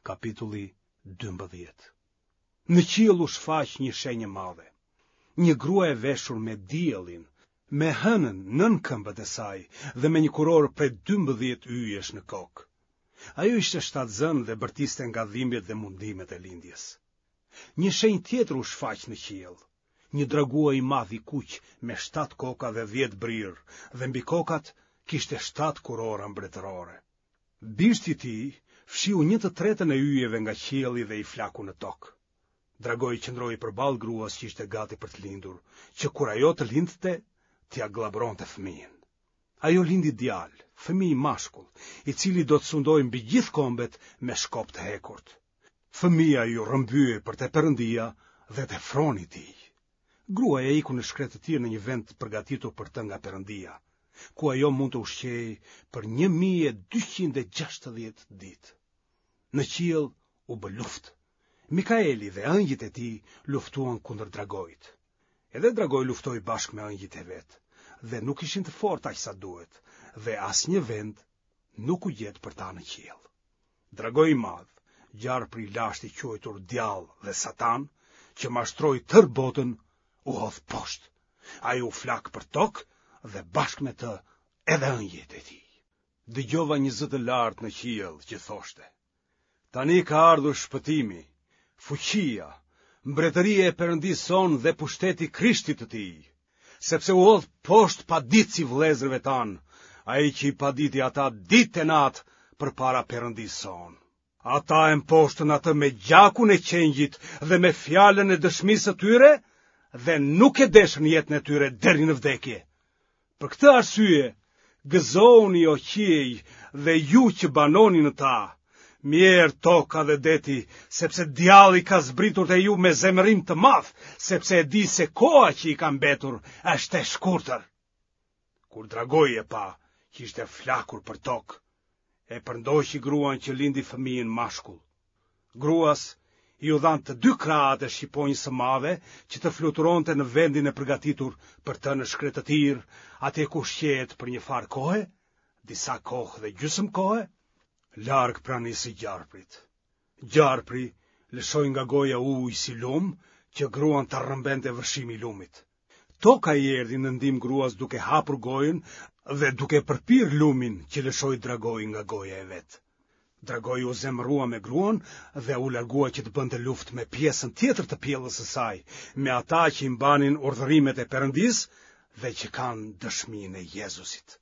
Kapitulli 12. Në qiell u shfaq një shenjë e madhe. Një grua e veshur me diellin, me hënën nën këmbët e saj dhe me një kurorë prej 12 yjesh në kokë. Ajo ishte shtatzënë dhe bërtiste nga dhimbjet dhe mundimet e lindjes. Një shenjë tjetër u shfaq në qiell. Një dragua i madh i kuq me shtatë koka dhe dhjetë brirë dhe mbi kokat kishte shtatë kurora mbretërore. Bishti i tij fshiu një të tretën e yjeve nga qielli dhe i flaku në tokë. Dragoi qëndroi përballë gruas që ishte gati për të lindur, që kur ajo të lindte, t'ia gllabëronte fëmijën. Ajo lindi djalë, fëmijë mashkull, i cili do të sundojë mbi gjithë kombet me shkop të hekurt. Fëmija iu rrëmbye për te Perëndia dhe te froni i tij. Gruaja iku në shkretëtirë në një vend të përgatitur për të nga Perëndia, ku ajo mund të ushqehej për 1260 ditë. Në qiell u bë luftë. Mikaeli dhe ëngjëjt e tij luftuan kundër dragoit. Edhe dragoi luftoi bashkë me ëngjëjt e vet, dhe nuk ishin të fortë aq sa duhet, dhe asnjë vend nuk u gjet për ta në qiell. Dragoi i madh, gjarpri i lashtë i quajtur Djall dhe Satan, që mashtroi tërë botën, u hodh poshtë. Ai u flak për tokë dhe bashkë me të edhe ëngjëjt e tij. Dëgjova një zë të lartë në qiell që thoshte: Tani ka ardhur shpëtimi, fuqia, mbretëria e Perëndisë sonë dhe pushteti i Krishtit të tij, sepse u hodh poshtë paditësi i vëllezërve tanë, ai që i paditi ata ditë e natë përpara Perëndisë sonë. Ata e mposhtën atë me gjakun e qengjit dhe me fjalën e dëshmisë së tyre dhe nuk e deshën jetën e tyre deri në vdekje. Për këtë arsye, gëzohuni o qiej dhe ju që banoni në ta. Mjerë toka dhe deti, sepse djalli ka zbritur te ju me zemërim të madh, sepse e di se koha që i ka mbetur është e shkurtër. Kur dragoi e pa që ishte flakur për tokë, e përndoqi gruan që lindi fëmijën mashkull. Gruas iu dhanë të dy krahët e shqiponjës së madhe që të fluturonte në vendin e përgatitur për të në shkretëtirë, atje ku ushqehet për një farë kohe, disa kohë dhe gjysmë kohe, larg pranisë së gjarprit. Gjarpri lëshoi nga goja ujë si lumë që gruan ta rrëmbente vërshimi i lumit. Toka i erdhi në ndihmë gruas duke hapur gojën dhe duke përpirë lumin që lëshoi dragoi nga goja e vet. Dragoi u zemërua me gruan dhe u largua që të bënte luftë me pjesën tjetër të pjellës së saj, me ata që i mbanin urdhërimet e Perëndisë dhe që kanë dëshminë e Jezusit.